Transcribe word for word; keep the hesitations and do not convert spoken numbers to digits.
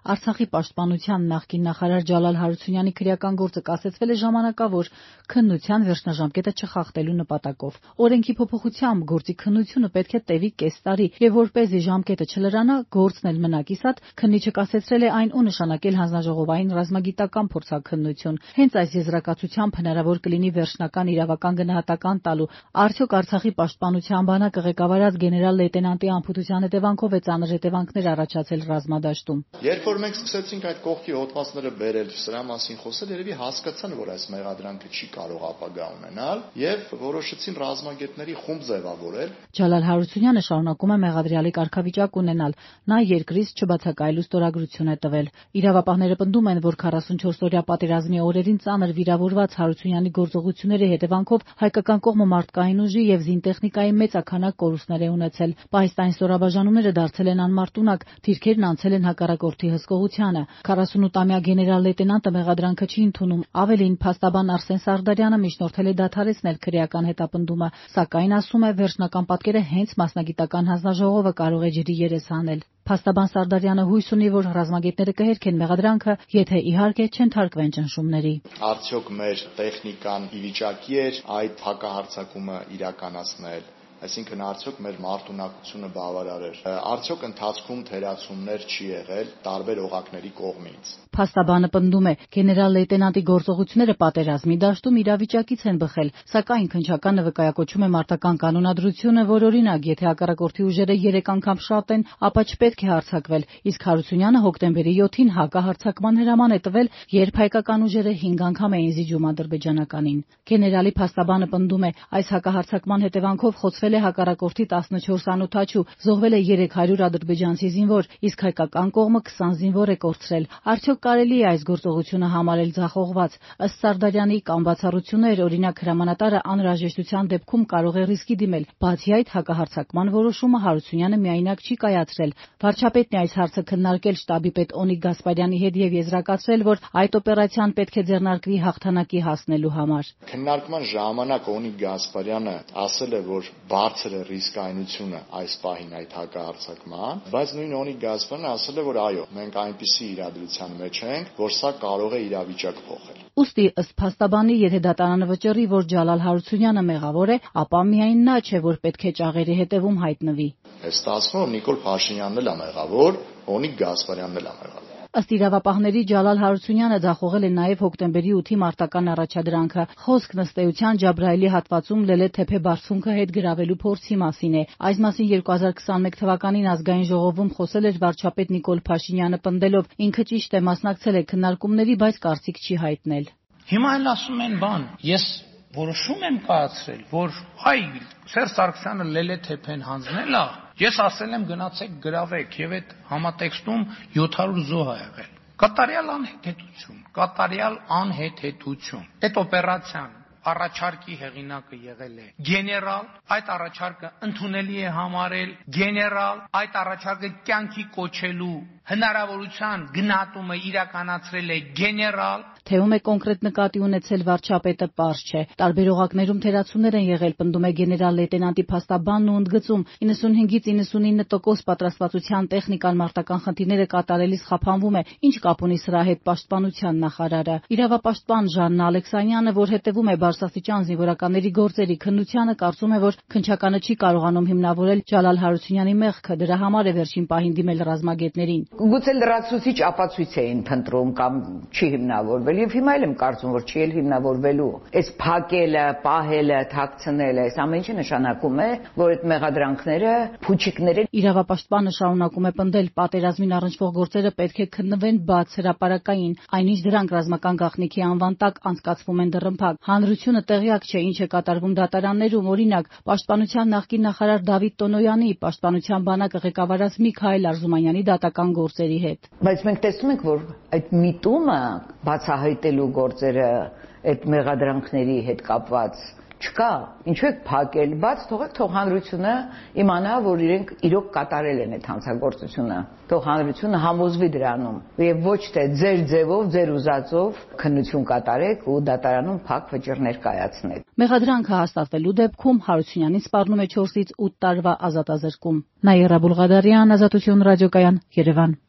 Արցախի պաշտպանության նախկին նախարար Ջալալ Հարությունյանի քրեական գործը կասեցվել է ժամանակավոր քննության վերջնաժամկետը չխախտելու նպատակով։ Օրենքի փոփոխությամբ գործի քննությունը պետք է տևի կես տարի, եւ որպեսզի ժամկետը չլրանա, գործն էլ մնա կիսատ, քննիչը կասեցրել է այն ու նշանակել հանձնաժողովային ռազմագիտական փորձաքննություն։ Հենց այս եզրակացությամբ հնարավոր կլինի վերջնական իրավական գնահատական տալու։ Արդյոք Արցախի պաշտպանության բանակը ղեկավարած գեներալ լեյտենանտի անփութության հետևանքով է ծանր հետևանքներ առաջացել ռազմադաշտում։ Երբ որ մենք սկսեցինք այդ կողքի հոդվածները բերել, սրա մասին խոսել, երևի հասկացան, որ այս մեղադրանքը չի կարող ապագա ունենալ, եւ որոշեցին ռազմագետների խումբ ձևավորել։ Ջալալ Հարությունյանը շարունակում է մեղադրյալի կարգավիճակ ունենալ։ Նա երկրից չբացակայելու ստորագրություն է տվել։ Իրավապահները պնդում են, որ քառասունչորս-օրյա պատերազմի օրերին ծանր վիրավորված Հարությունյանի գործողությունների հետևանքով հայկական կողմը մարդկային ուժի եւ զինտեխնիկայի մեծաքանակ կորուստներ է ունեցել։ Պահեստային ստորաբաժանումները դարձել են անմարտունակ, դիրքերն անցել են հակառակորդի հսկողությանը։ քառասունութամյա գեներալ լեյտենանտը մեղադրանքը չի ընդունում։ Ավելին, փաստաբան Արսեն Սարդարյանը միջնորդել է դադարեցնել քրեական հետապնդումը, սակայն ասում է, վերջնական պատկերը հենց մասնագիտական հանձնաժողովը կարող է ջրի երես հանել։ Փաստաբան Սարդարյանը հույս ունի, որ ռազմագետները կհերքեն մեղադրանքը, եթե իհարկե չընթարկվեն ճնշումների։ Արդյոք մեր տեխնիկան ի վիճակի էր այդ հակահարձակումը իրականացնել, այսինքն արդյոք մեր մարտունակությունը բավարար էր, արդյոք ընթացքում թերացումներ չի եղել տարբեր օղակների կողմից։ Փաստաբանը պնդում է, գեներալ լեյտենանտի գործողությունները պատերազմի դաշտում իրավիճակից են բխել, սակայն քննչականը վկայակոչում է մարտական կանոնադրությունը, որ օրինակ, եթե հակառակորդի ուժերը երեք անգամ շատ են, ապա չպետք է հարձակվել, իսկ Հարությունյանը հոկտեմբերի յոթին հակահարձակման հրաման է տվել, երբ հայկական ուժերը հինգ անգամ էին զիջում ադրբեջանականին։ Գեներալի փաստաբանը պնդում է, այս հակահարձակման հետևանքով խոցվել է հակառակորդի տասնչորս անօդաչու, զոհվել է երեք հարյուր ադրբեջանցի զինվոր, իսկ հայկական կողմը քսան զինվոր է կորցրել։ Արդյոք կարելի է այս գործողությունը համարել ձախողված։ Ըստ Սարդարյանի կան բացառություններ, օրինակ հրամանատարը անհրաժեշտության դեպքում կարող է ռիսկի դիմել։ Բացի այդ, հակահարձակման որոշումը Հարությունյանը միայնակ չի կայացրել։ Վարչապետն է այս հարցը քննարկել շտաբի պետ Օնիկ Գասպարյանի հետ եւ եզրակացրել, որ այդ օպերացիան պետք է ձեռնարկվի հաղթանակի հասնելու համար։ Քննարկման ժամանակ Օնիկ Գասպարյանը ասել է, որ բարձր է ռիսկայնությունը այս պահին այդ հակահարձակման, բայց նույն Օնիկ Գասպարյանը ասել է, որ այո, մենք այնպիսի իրադրության մեջ ենք, որ սա կարող է իրավիճակ փոխել։ Ուստի ըստ փաստաբանի, եթե դատարանը վճռի, որ Ջալալ Հարությունյանը մեղավոր է, ապա միայն նա չէ, որ պետք է ճաղերի հետևում հայտնվի։ Է ստացվում, որ Նիկոլ Փաշինյանն էլ է մեղավոր, Օնիկ Գասպարյանն էլ է մեղավոր։ Ըստ իրավապահների Ջալալ Հարությունյանը ձախողել է նաև հոկտեմբերի ութի մարտական առաջադրանքը։ Խոսքն ըստ էության Ջաբրայելի հատվածում Լելե-Թեփե բարձունքը հետ գրավելու փորձի մասին է։ Այս մասին երկու հազար քսանմեկ թվականին ազգային ժողովում խոսել էր վարչապետ Նիկոլ Փաշինյանը, պնդելով, ինքը ճիշտ է մասնակցել է քննարկումների, բայց կարծիք չի հայտնել։ Հիմա էլ ասում են բան, ես որոշում եմ կայացրել, որ այ Սերժ Սարգսյանը Լելե-Թեփեն հանձնել է, ես ասել եմ գնացեք գրավեք, եւ այդ համատեքստում յոթ հարյուր զոհ ա եղել։ Կատարյալ անհեթեթություն, կատարյալ անհեթեթություն։ Այդ օպերացիան առաջարկի հեղինակը եղել է գեներալ, այդ առաջարկը ընդունելի է համարել գեներալ, այդ առաջարկը կյանքի կոչելու հնարավորության գնահատումը իրականացրել է գեներալ։ Թե ում է կոնկրետ նկատի ունեցել վարչապետը, պարզ չէ։ Տարբեր օղակներում թերացումներ են եղել, պնդում է գեներալ լեյտենանտի փաստաբանն ու ընդգծում, իննսունհինգից իննսունինը տոկոս պատրաստվածության տեխնիկան մարտական խնդիրները կատարելիս խափանվում է, ինչ կապ ունի սրա հետ պաշտպանության նախարարը։ Իրավապաշտպան Ժաննա Ալեքսանյանը, որ հետևում է բարձրաստիճան զինվորականների գործերի քննությանը, կարծում է, որ քննչականը չի կարողանում հիմնավորել Ջալալ Հարությունյանի մեղքը, դրա համար է վերջին պահին դիմել ռազմագետներին։ Գուցե լրացուցիչ ապացույց էին փնտրում կամ չի հիմնավորվել, եւ հիմա էլ եմ կարծում, որ չի էլ հիմնավորվելու։ Այս փակելը, պահելը, թաքցնելը, այս ամեն ինչը նշանակում է, որ այդ մեղադրանքները փուչիկներ են։ Իրավապաշտպանը շարունակում է պնդել, պատերազմին առնչվող գործերը պետք է քննվեն բաց հրապարակային, այնինչ դրանք ռազմական գաղտնիքի անվան տակ անցկացվում են դռնփակ։ Հանրությունը տեղյակ չէ, ինչ է կատարվում դատարաններում, օրինակ, պաշտպանության նախկին նախարար Դավիթ Տոնոյանի, պաշտպանության բանակը ղեկավարած Միքայել Արզումանյանի դատական գործերի հետ։ Բայց մենք տեսնում ենք, որ այդ միտումը բացահայտելու գործերը այդ մեղադրանքների հետ կապված չկա։ Ինչու եք փակել, բաց թողեք, թող հանրությունը իմանա, որ իրենք իրոք կատարել են այդ հանցագործությունը։ Թող հանրությունը համոզվի դրանում, եւ ոչ թե ձեր ձևով, ձեր ուզածով քննություն կատարեք ու դատարանում փակ վճիռներ կայացնեք։ Մեղադրանքը հաստատվելու դեպքում Հարությունյանին սպառնում է չորսից ութ տարվա ազատազրկում։ Նաիրա Բուլղադարյան, Ազատություն ռադիոկայան, Երևան։